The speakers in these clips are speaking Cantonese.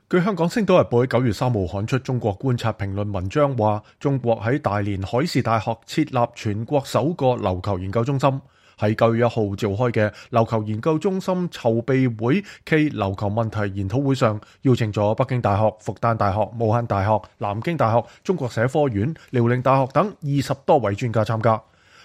據香港《星島日報》喺9月3號刊出中國觀察評論文章話，中國喺大連海事大學設立全國首個琉球研究中心。喺9月1號召開嘅琉球研究中心籌備會暨琉球問題研討會上，邀請咗北京大學、復旦大學、武漢大學、南京大學、中國社科院、遼寧大學等20多位專家參加。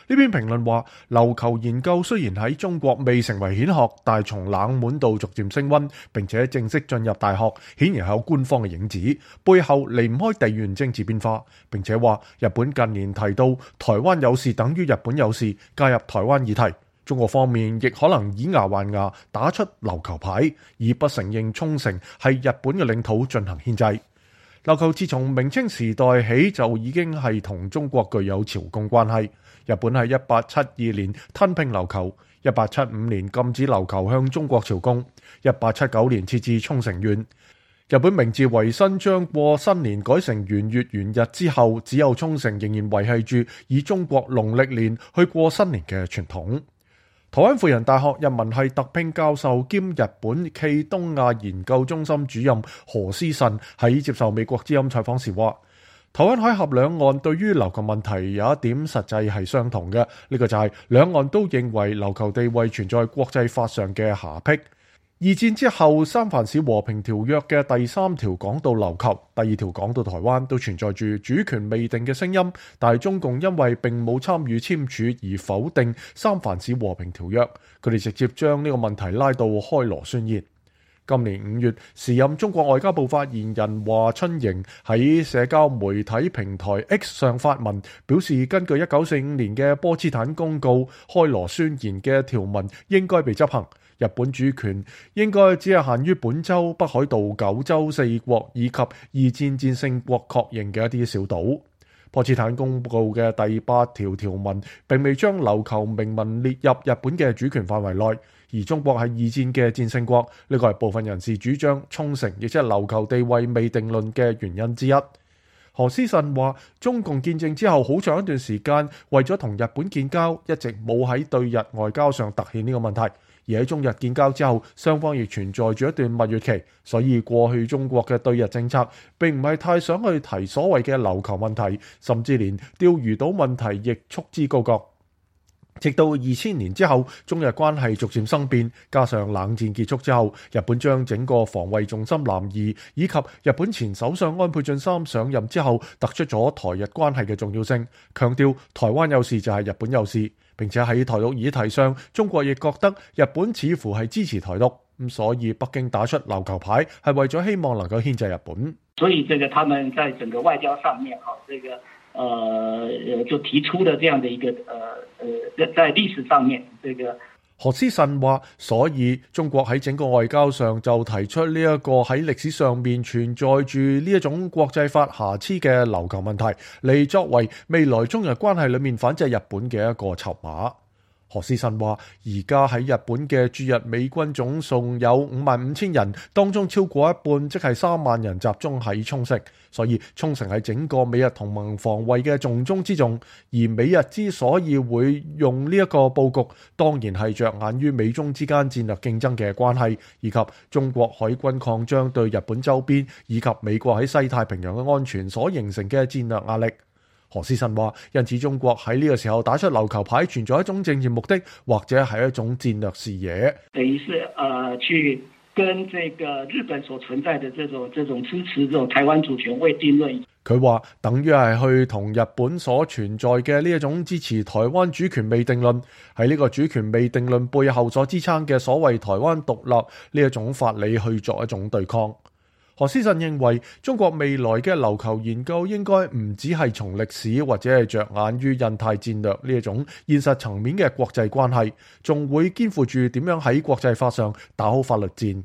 呢篇評論話，琉球研究雖然喺中國未成為顯學，但係從冷門到逐漸升溫，並且正式進入大學，顯然係有官方嘅影子，背後離唔開地緣政治變化。並且話，日本近年提到台灣有事等於日本有事，介入台灣議題。中國方面亦可能以牙還牙，打出琉球牌，以不承認沖繩係日本嘅領土進行牽制。琉球自從明清時代起就已經係同中國具有朝貢關係。日本喺1872年吞併琉球，1875年禁止琉球向中國朝貢，1879年設置沖繩縣。日本明治維新將過新年改成元月元日之後，只有沖繩仍然維繫住以中國農曆年去過新年嘅傳統。台灣輔仁大學人文系特聘教授兼日本暨東亞研究中心主任何思慎喺接受美國之音採訪時話，台灣海峽兩岸對於琉球問題有一點實際係相同嘅，呢個就係兩岸都認為琉球地位存在國際法上嘅瑕疵。二戰之後，三藩市和平條約嘅第3條講到琉球，第2條講到台灣，都存在住主權未定嘅聲音。但係中共因為並冇參與簽署而否定三藩市和平條約，佢哋直接將呢個問題拉到開羅宣言。今年5月，時任中國外交部發言人華春瑩喺社交媒體平台 X 上發文，表示根據1945年嘅波茨坦公告，開羅宣言嘅條文應該被執行。日本主權應該只係限於本州、北海道9州4國以及二戰戰勝國確認嘅一啲小島。波茨坦公告嘅第8條條文並未將琉球明文列入日本嘅主權範圍內，而中國係二戰嘅戰勝國，呢個係部分人士主張沖繩亦即係琉球地位未定論嘅原因之一。何思慎話，中共建政之後好長一段時間，為咗同日本建交，一直冇喺對日外交上凸顯呢個問題。而喺中日建交之後，雙方亦存在住一段蜜月期，所以過去中國嘅對日政策並唔係太想去提所謂嘅琉球問題，甚至連釣魚島問題亦束之高閣。直到2000年之後，中日關係逐漸生變，加上冷戰結束之後，日本將整個防衛重心南移，以及日本前首相安倍晉三上任之後，突出咗台日關係嘅重要性，強調台灣有事就係日本有事。並且喺台獨議題上，中國亦覺得日本似乎係支持台獨，咁所以北京打出琉球牌係為咗希望能夠牽制日本。所以他們在整個外交上面，就提出了這樣的一個在歷史上面，何思慎話，所以中國喺整個外交上就提出呢一個喺歷史上面存在住呢一種國際法瑕疵嘅琉球問題，嚟作為未來中日關係裏面反制日本嘅一個籌碼。何思慎話，而家喺日本嘅駐日美軍總數有55,000人，當中超過一半，即係3萬人集中喺沖繩，所以沖繩係整個美日同盟防衛嘅重中之重。而美日之所以會用呢一個佈局，當然係着眼於美中之間戰略競爭嘅關係，以及中國海軍擴張對日本周邊以及美國喺西太平洋嘅安全所形成嘅戰略壓力。何思慎話，因此中國喺呢個時候打出琉球牌，存在一種政治目的，或者係一種戰略視野。等於是去跟這個日本所存在的這種支持這種台灣主權未定論。佢話等於係去同日本所存在嘅呢一種支持台灣主權未定論，喺呢個主權未定論背後所支撐嘅所謂台灣獨立呢一種法理去作一種對抗。何思慎認為，中國未來嘅琉球研究應該唔只係從歷史或者係着眼於印太戰略呢一種現實層面嘅國際關係，仲會肩負住點樣喺國際法上打好法律戰。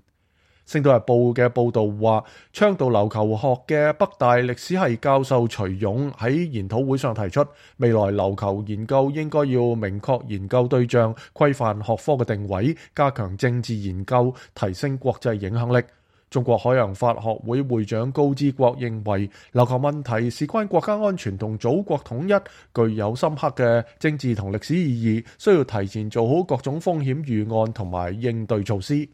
星島日報嘅報導話，倡導琉球學嘅北大歷史系教授徐勇喺研討會上提出，未來琉球研究應該要明確研究對象，規範學科嘅定位，加強政治研究，提升國際影響力。中國海洋法學會會長高之國認為，琉球問題事關國家安全同祖國統一，具有深刻嘅政治同歷史意義，需要提前做好各種風險預案同埋應對措施。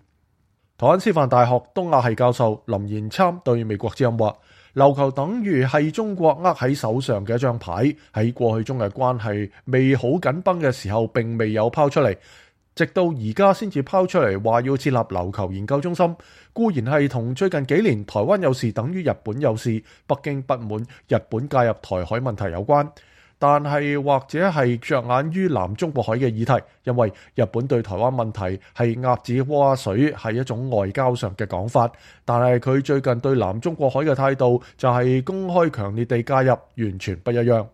台灣師範大學東亞系教授林賢參對美國之音話：琉球等於係中國握喺手上嘅一張牌，喺過去中日關係未好緊繃嘅時候並未有拋出嚟，直到而家先至拋出嚟話要設立琉球研究中心，固然係同最近幾年台灣有事等於日本有事，北京不滿日本介入台海問題有關。但係或者係着眼於南中國海嘅議題，因為日本對台灣問題係鴨子划水，係一種外交上嘅講法。但係佢最近對南中國海嘅態度就係公開強烈地介入，完全不一樣。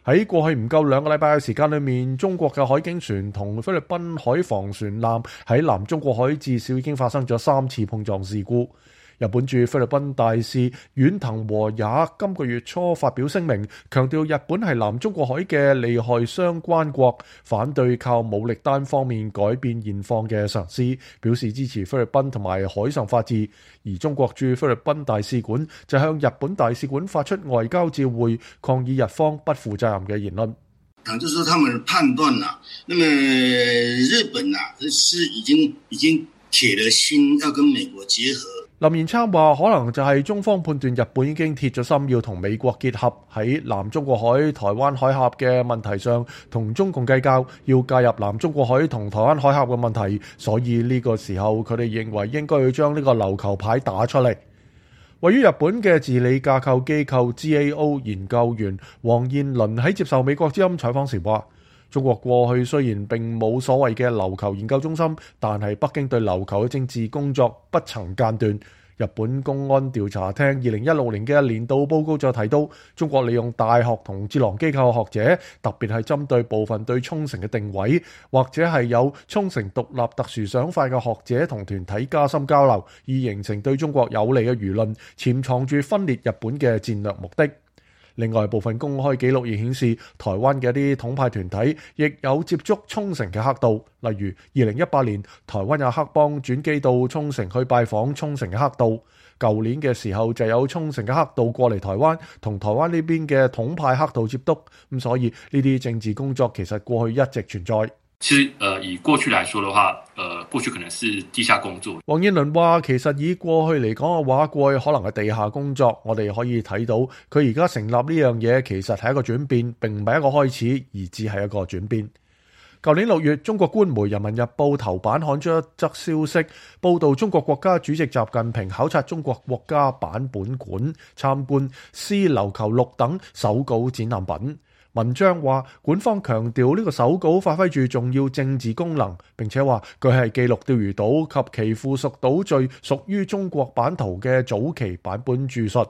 喺過去唔夠2個禮拜嘅時間裏面，中國嘅海警船同菲律賓海防船艦喺南中國海至少已經發生咗3次碰撞事故。日本駐菲律賓大使遠藤和也今個月初發表聲明，強調日本係南中國海嘅利害相關國，反對靠武力單方面改變現況嘅嘗試，表示支持菲律賓同埋海上法治。而中國駐菲律賓大使館就向日本大使館發出外交照會，抗議日方不負責任嘅言論。就是說他們判斷啦，那麼日本啊是已經鐵了心要跟美國結合。林賢參話：可能就係中方判斷日本已經鐵咗心要同美國結合，喺南中國海、台灣海峽嘅問題上同中共計較，要介入南中國海同台灣海峽嘅問題，所以呢個時候佢哋認為應該要將呢個琉球牌打出嚟。位於日本嘅治理架構機構 GAO 研究員黃燕倫喺接受美國之音採訪時話：中國過去雖然並冇所謂嘅琉球研究中心，但係北京對琉球嘅政治工作不曾間斷。日本公安調查廳2016年嘅年度報告就提到，中國利用大學同智囊機構學者，特別係針對部分對沖繩嘅定位，或者係有沖繩獨立特殊想法嘅學者同團體加深交流，以形成對中國有利嘅輿論，潛藏住分裂日本嘅戰略目的。另外，部分公開記錄亦顯示，台灣嘅一啲統派團體亦有接觸沖繩嘅黑道，例如2018年台灣有黑幫轉機到沖繩去拜訪沖繩嘅黑道，舊年嘅時候就有沖繩嘅黑道過嚟台灣，同台灣呢邊嘅統派黑道接觸，咁所以呢啲政治工作其實過去一直存在。其實以過去來說的話，過去可能是地下工作。黃燕倫話：其實以過去嚟講嘅話，過去可能係地下工作。我哋可以睇到佢而家成立呢樣嘢，其實係一個轉變，並唔係一個開始，而只係一個轉變。舊年6月，中國官媒《人民日報》頭版刊出一則消息，報導中國國家主席習近平考察中國國家版本館，參觀《絲琉球錄》等手稿展覽品。文章話，館方強調呢個手稿發揮住重要政治功能，並且話佢係記錄釣魚島及其附屬島嶼屬於中國版圖嘅早期版本著述。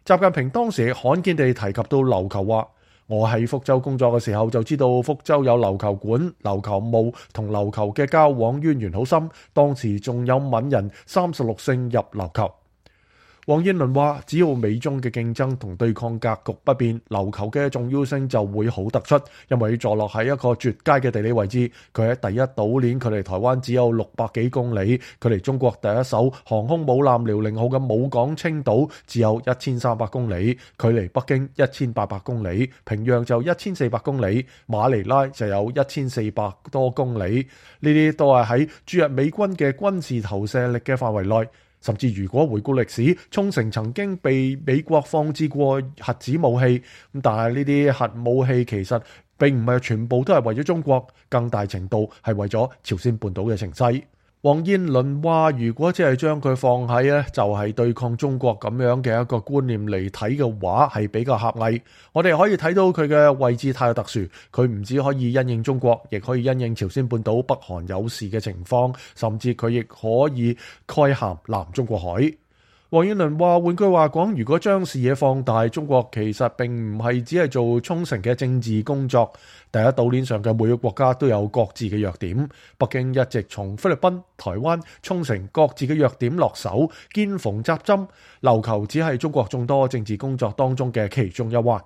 習近平當時罕見地提及到琉球，話我喺福州工作嘅時候就知道福州有琉球館、琉球墓同琉球嘅交往淵源好深，當時仲有閩人36姓入琉球。黃燕倫話：只要美中嘅競爭同對抗格局不變，琉球嘅重要性就會好突出，因為坐落喺一個絕佳嘅地理位置。佢喺第一島鏈，距離台灣只有600幾公里；距離中國第一艘航空母艦遼寧號嘅母港青島只有1300公里；距離北京1800公里，平壤就1400公里，馬尼拉就有1400多公里。呢啲都係喺駐日美軍嘅軍事投射力嘅範圍內。甚至如果回顧歷史，沖繩曾經被美國放置過核子武器，但係呢啲核武器其實並唔係全部都係為咗中國，更大程度係為咗朝鮮半島嘅情勢。黃燕倫話：如果只係將佢放喺就係對抗中國咁樣嘅一個觀念嚟睇嘅話，係比較狹隘。我哋可以睇到佢嘅位置太特殊，佢唔止可以因應中國，亦可以因應朝鮮半島北韓有事嘅情況，甚至佢亦可以概含南中國海。黃燕倫話：換句話講，如果將視野放大，中國其實並唔係只係做沖繩嘅政治工作。第一島鏈上嘅每個國家都有各自嘅弱點，北京一直從菲律賓、台灣、沖繩各自嘅弱點落手，見縫插針。琉球只係中國眾多政治工作當中嘅其中一環。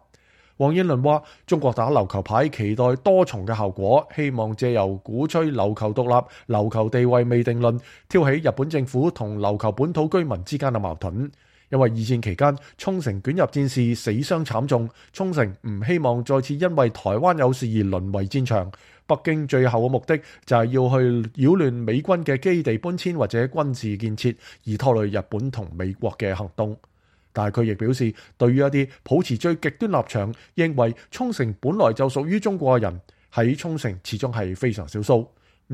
黃燕倫話：中國打琉球牌，期待多重嘅效果，希望借由鼓吹琉球獨立、琉球地位未定論，挑起日本政府同琉球本土居民之間嘅矛盾。因為二戰期間沖繩捲入戰事死傷慘重，沖繩唔希望再次因為台灣有事而淪為戰場。北京最後嘅目的就係要去擾亂美軍嘅基地搬遷或者軍事建設，而拖累日本同美國嘅行動。但係佢亦表示，對於一啲抱持最極端立場，認為沖繩本來就屬於中國嘅人，喺沖繩始終係非常少數。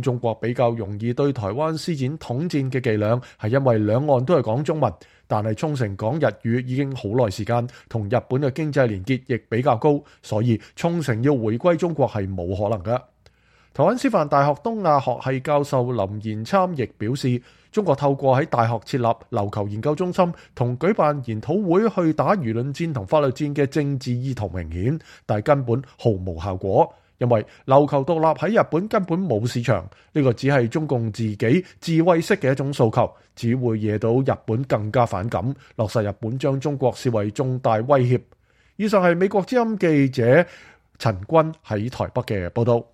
中國比較容易對台灣施展統戰嘅伎倆，係因為兩岸都係講中文，但係沖繩講日語已經好耐時間，同日本嘅經濟連結亦比較高，所以沖繩要回歸中國係冇可能嘅。台灣師範大學東亞學系教授林延參亦表示，中國透過喺大學設立琉球研究中心同舉辦研討會去打輿論戰同法律戰嘅政治意圖明顯，但係根本毫無效果，因為琉球獨立喺日本根本冇市場，呢個只係中共自己自衛式嘅一種訴求，只會惹到日本更加反感，落實日本將中國視為重大威脅。以上係美國之音記者陳君喺台北嘅報道。